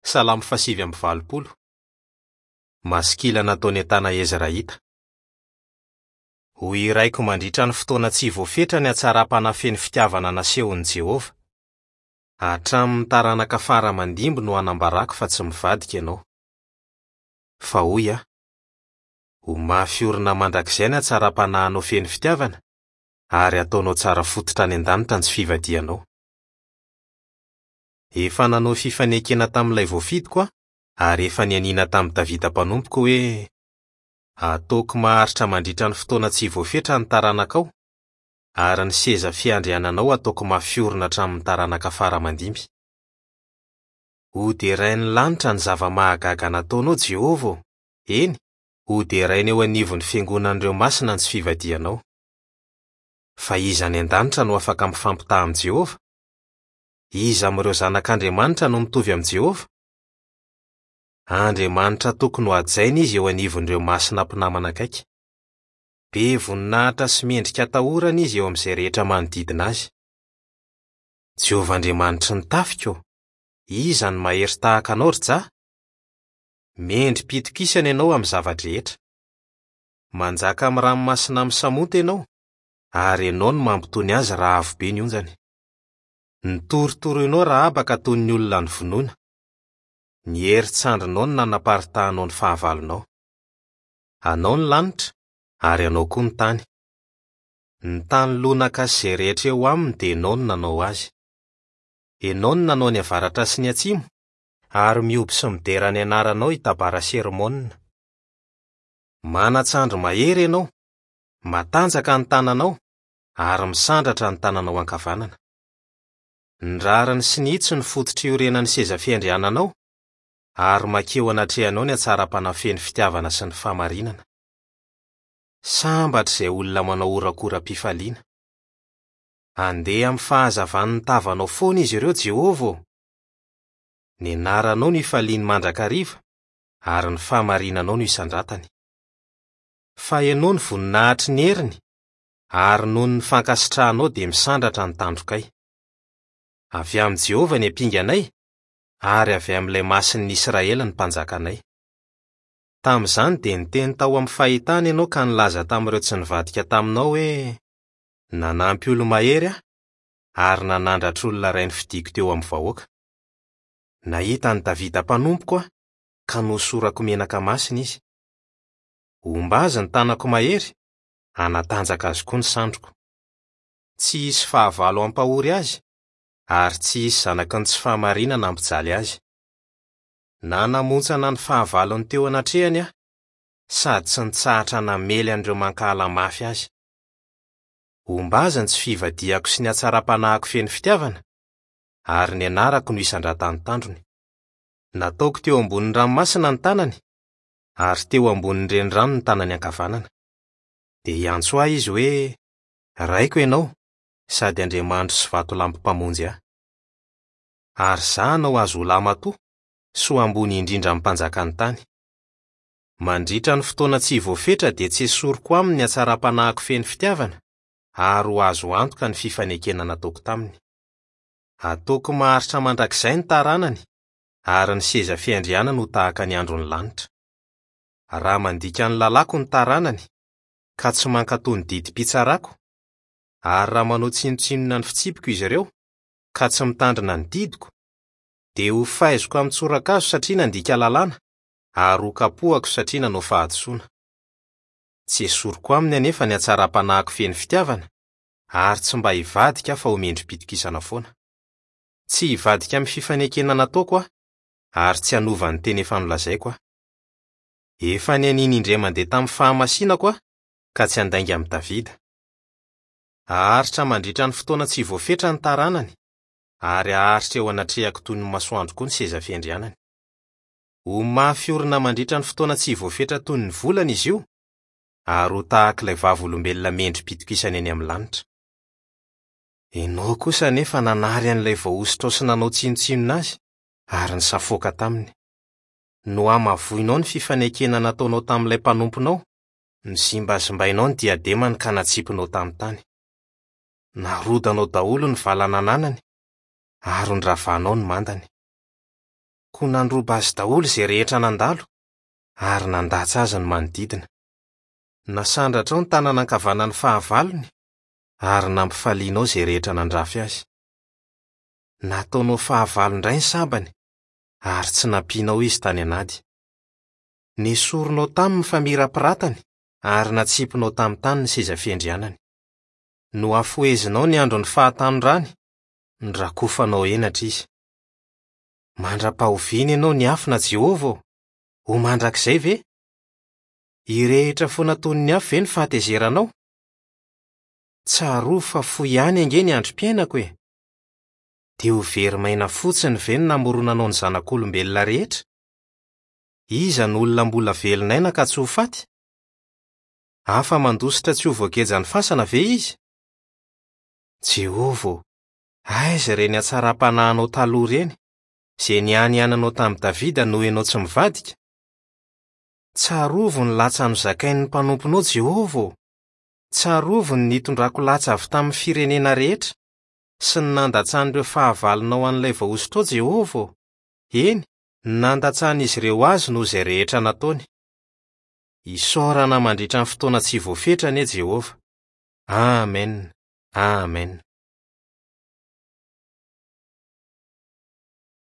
Salamo fahasivy amby valopolo. Maskila nataon'i Etana Ezrahita. Hohiraiko mandritra ny fotoana tsy voafetra ny hatsaram-panahy feno fitiavana nasehon'i Jehovah. Hatramin'ny taranaka fara aman-dimby no hanambarako fa tsy mivadika ianao. Fa hoy aho, Ho mafy orina mandrakizay ny hatsaram-panahinao feno fitiavana, ary hataonao tsara fototra any an-danitra ny tsy fivadihanao. Efa nanao fifanekena tamin'ilay voafidiko aho, ary efa nianiana tamin'i Davida mpanompoko hoe, 'Hataoko maharitra mandritra ny fotoana tsy voafetra ny taranakao, ary ny seza fiandriananao hataoko mafy orina hatramin'ny taranaka fara aman-dimby. Hoderain'ny lanitra ny zava-mahagaga nataonao, Jehovah ô, eny, hoderaina eo anivon'ny fiangonan'ireo masina ny tsy fivadihanao. Fa iza any an-danitra no afaka mifampitaha amin'i Jehovah? Iza amin'ireo zanak'Andriamanitra no mitovy amin'i Jehovah? Andriamanitra tokony hohajaina izy eo anivon'ireo masina mpinamana akaiky. Be voninahitra sy mendrika atahorana izy eo amin'izay rehetra manodidina azy. Jehovah Andriamanitry ny tafika ô, iza no mahery tahaka anao, ry Jah? Mendri-pitokisana ianao amin'ny zava-drehetra. Manjaka amin'ny ranomasina misamonta ianao, ary ianao no mampitony azy raha avo be ny onjany. Notorotoroinao Rahaba ka toy ny olona novonoina. Ny herin-tsandrinao no nanaparitahanao ny fahavalonao. Anao ny lanitra, ary anao koa ny tany. Ny tany lonaka sy izay rehetra eo aminy dia ianao no nanao azy. Ianao no nanao ny avaratra sy ny atsimo, ary mihoby sy midera ny anaranao i Tabara sy Hermona. Manan-tsandry mahery ianao, matanjaka ny tananao, ary misandratra ny tananao ankavanana. Ny rariny sy ny hitsy no fototra iorenan'ny seza fiandriananao, ary mankeo anatrehanao ny hatsaram-panahy feno fitiavana sy ny fahamarinana. Sambatra izay olona manao horakora-pifaliana. Handeha amin'ny fahazavan'ny tavanao foana izy ireo, Jehovah ô! Ny anaranao no ifaliany mandrakariva, ary ny fahamarinanao no isandratany. Fa ianao no voninahitry ny heriny, ary noho ny fankasitrahanao dia misandratra ny tandrokay. Avy amin'i Jehovah ny ampinganay, ary avy amin'ilay Masin'ny Israely ny mpanjakanay. Tamin'izany dia niteny tao amin'ny fahitana ianao ka nilaza tamin'ireo tsy nivadika taminao hoe, Nanampy olo-mahery aho, ary nanandratra olona iray nofidiko teo amin'ny vahoaka. Nahita an'i Davida mpanompoko aho, ka nohosorako menaka masina izy. Homba azy ny tanako mahery, hanatanjaka azy koa ny sandriko. Tsy hisy fahavalo hampahory azy, ary tsy hisy zanaky ny tsy fahamarinana hampijaly azy. Nanamontsana ny fahavalony teo anatrehany aho, sady tsy nitsahatra namely an'ireo mankahala mafy azy. Homba azy ny tsy fivadihako sy ny hatsaram-panahiko feno fitiavana, ary ny anarako no hisandratan'ny tandrony. Nataoko teo ambonin'ny ranomasina ny tanany, ary teo ambonin'ny renirano ny tanany ankavanana. Dia hiantso ahy izy hoe, Raiko ianao, sady Andriamanitro sy vatolampy mpamonjy ahy. Ary izaho hanao azy ho lahimatoa sy ho ambony indrindra amin'ny mpanjakan'ny tany. Mandritra ny fotoana tsy voafetra dia tsy esoriko aminy ny hatsaram-panahiko feno fitiavana, ary ho azo antoka ny fifanekena nataoko taminy. Hataoko maharitra mandrakizay ny taranany, ary ny seza fiandrianany ho tahaka ny andron'ny lanitra. Raha mandika ny lalàko ny taranany, ka tsy mankatò ny didim-pitsarako, ary raha manao tsinontsinona ny fitsipiko izy ireo, ka tsy mitandrina ny didiko, dia hofaiziko amin'ny tsorakazo satria nandika lalàna, ary hokapohako satria nanao fahadisoana. Tsy esoriko aminy anefa ny hatsaram-panahiko feno fitiavana, ary tsy mba hivadika aho fa ho mendri-pitokisana foana. Tsy hivadika amin'ny fifanekena nataoko aho, ary tsy hanova ny teny efa nolazaiko aho. Efa nianiana indray mandeha tamin'ny fahamasinako aho, ka tsy handainga amin'i Davida. Haharitra mandritra ny fotoana tsy voafetra ny taranany, ary haharitra eo anatrehako toy ny masoandro koa ny seza fiandrianany. Ho mafy orina mandritra ny fotoana tsy voafetra toy ny volana izy io, ary ho tahaka ilay vavolombelona mendri-pitokisana eny amin'ny lanitra. Ianao kosa anefa nanary an'ilay voahosotrao sy nanao tsinontsinona azy, ary nisafoaka taminy. Nohamavoinao ny fifanekena nataonao tamin'ilay mpanomponao, nozimbazimbainao ny diademany ka natsipinao tamin'ny tany. Narodanao daholo ny vala nananany, ary noravanao ny mandany. Koa nandroba azy daholo izay rehetra nandalo, ary nandatsa azy ny manodidina. Nasandratrao ny tanana ankavanan'ny fahavalony, ary nampifalianao izay rehetra nandrafy azy. Nataonao fahavalo indray ny sabany, ary tsy nampianao izy tany an'ady. Nesorinao taminy ny famirapiratany, ary natsipinao tamin'ny tany ny seza fiandrianany. Nohafohezinao ny andron'ny fahatanorany, norakofanao henatra izy. Mandra-pahoviana ianao niafina, Jehovah ô? Ho mandrakizay ve? Hirehitra foana toy ny afo ve ny fahatezeranao? Tsarovy fa fohy ihany ange ny androm-piainako e! Dia ho very maina fotsiny ve ny namoronanao ny zanak'olombelona rehetra? Iza no olona mbola velon'aina ka tsy ho faty? Afa-mandositra tsy ho voagejan'ny fasana ve izy? Jehovah ô, aiza ireny hatsaram-panahinao taloha ireny, izay nianiananao tamin'i Davida noho ianao tsy mivadika? Tsarovy ny latsa nozakain'ny mpanomponao, Jehovah ô! Tsarovy ny nitondrako latsa avy tamin'ny firenena rehetra, sy ny nandatsan'ireo fahavalonao an'ilay voahosotrao, Jehovah ô! Eny, ny nandatsan'izy ireo azy noho izay rehetra nataony. Isaorana mandritra ny fotoana tsy voafetra anie Jehovah. Amen! Amen!